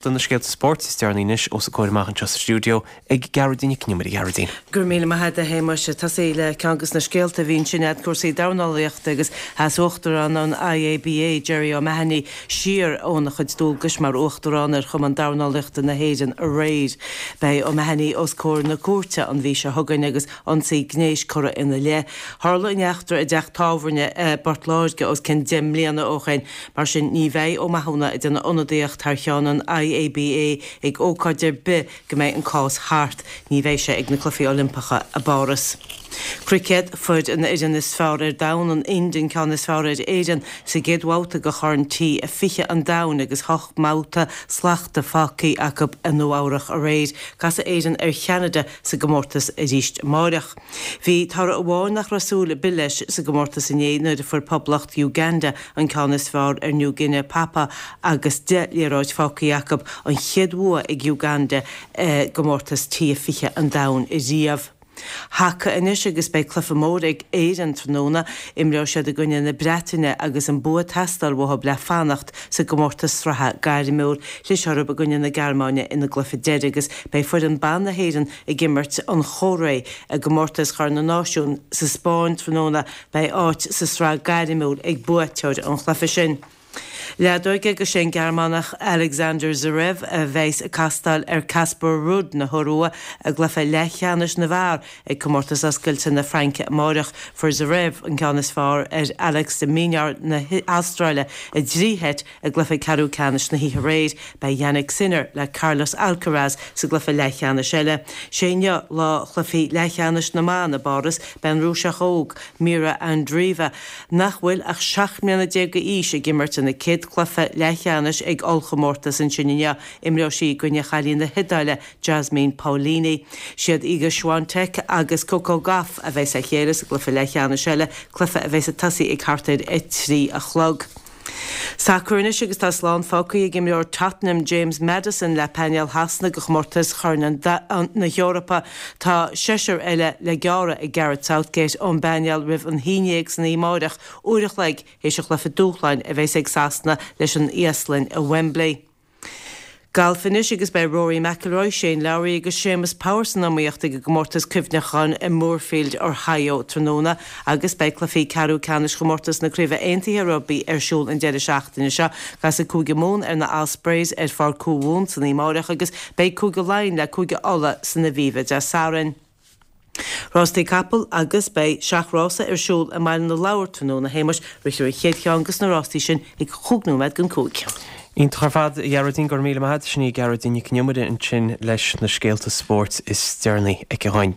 Do na scéalta spóirt is deireanaí anois os a comhair amach anseo sa stiúideo ag Gearóidín Nic Con Iomaire. A Ghearóidín. Go raibh míle maith agat a Shéamais. Ag tosaí le ceann de na scéalta a bhí ansin a'd, cúrsaí dornálaíochta agus sheas Uachtarán an IABA, Jerry O'Mahony, siar óna chuid dualgais mar Uachtarán ar Chumann Dornálaíochta na hÉireann aréir. Beidh O'Mahony os comhair na cúirte an mhí seo chugainn agus ionsaí gnéis curtha ina leith. Tharla an eachtra i dteach tábhairne i bPort Láirge os cionn 10 mbliana ó shin. Mar sin, ní bheidh Ó Mathúna ag déanamh ionadaíocht thar cheann an IABA ag ócáid ar bith go mbeidh an cás thart. Ní bheidh sé ag na Cluichí Oilimpeacha i bPáras. Cruicéad, Fuair an fhoireann is fearr ar domhan, an Ind, an ceann is fearr ar Éirinn sa gcéad bhabhta de Chorn T20 an Domhain agus hocht mbabhta slachta fágtha acu i Nua Eabhrach aréir. Casfaidh Éirinn ar Cheanada sa gcomórtas arís amáireach. Bhí toradh amháin nach raibh súil ar bith leis sa gcomórtas inné nuair a fuair Poblacht Uganda an ceann is fearr ar New Guinea Papua agus 10 liathróid fágtha acu, an chéad bhua ag Uganda i gcomórtas T20 an domhain riamh. Haca anois agus beidh cluiche mór ag Éirinn tráthnóna. Imreoidh siad i gcoinne na Breataine agus an bua ag teastáil uathu le fanacht sa gcomórtas sraithe gairmiúil. Chlis orthu i gcoinne na Gearmáine ina gcluiche deiridh agus beidh foireann ban na hÉireann ag imirt an Chóiré i gcomórtas Chorn na Náisiún sa Spáinn tráthnóna. Beidh áit sa sraith gairmiúil ag buaiteoir an chluiche sin. Leadóige agus sé an Gearmánach Alexander Zverev a bheas ag castáil ar Casper Ruud na hIorua i gcluiche leathcheannais na bhfear ag Comórtas Oscailte na Fraince amáireach. Fuair Zverev an ceann is fearr ar Alex de Minaur na hAstráile i dtrí sheit I gcluiche ceathrú ceannais na hoíche aréir, beidh Jannik Sinner le Carlos Alcaraz sa gcluiche leathcheannais eile. Sé inniu lá chluichí leathcheannais na mban i bPáras. Beidh an Rúiseach óg, Mirra Andreeva, nach bhfuil ach 17 mbliana d'aois, ag imirt ina céad chluiche leathcheannais ag ollchomórtas ansin inniu. Imreoidh sí i gcoinne chailín na hIodáile, Jasmine Paolini. Siad Iga Swiatek agus Coco Gauff a bheas le chéile sa gcluiche leathcheannais eile, cluiche a bheas ag tosaí ag thart ar 3 a chlog. Sacar anois agus tá slán fágtha ag imreoir Tottenham James Maddison le painéal Shasana do chomórtas Chorn na hEorpa. Tá seisear eile le gearradh ag Gareth Southgate ón bpainéal roimh an haon dhéag san oíche amáireach, uair a chloig théis an chluiche dúshláin a bheas ag Sasana leis an Íoslainn i Wembley. Galf anois agus beidh Rory McIlroy, Shane Lowry agus Séamus Power san iomaíocht ag an gcomórtas cuimhneacháin i Muirfield, Ohio tráthnóna agus beidh cluichí ceathrú ceannais chomórtas na Craoibhe Aontaithe Rugbaí ar siúl an deireadh seachtaine seo. Casfaidh Cúige Mumhan ar na Ospreys ar Pháirc Chú Mhumhan san oíche amáireach agus beidh Cúige Laighean le Cúige Uladh san Aviva Dé Sathairn. Rástaí capall agus beidh seachrása ar siúl i mBaile na Lobhar tráthnóna, a Shéamais. Rithfear an chéad cheann dos na rástaí sin ag chúig nóiméad don chúig. Iontach ar fad, a Ghearóidín, go raibh míle maith agat. Sin í Gearóidín Nic Con Iomaire ansin leis na scéalta spóirt is deireanaí aici dhúinn.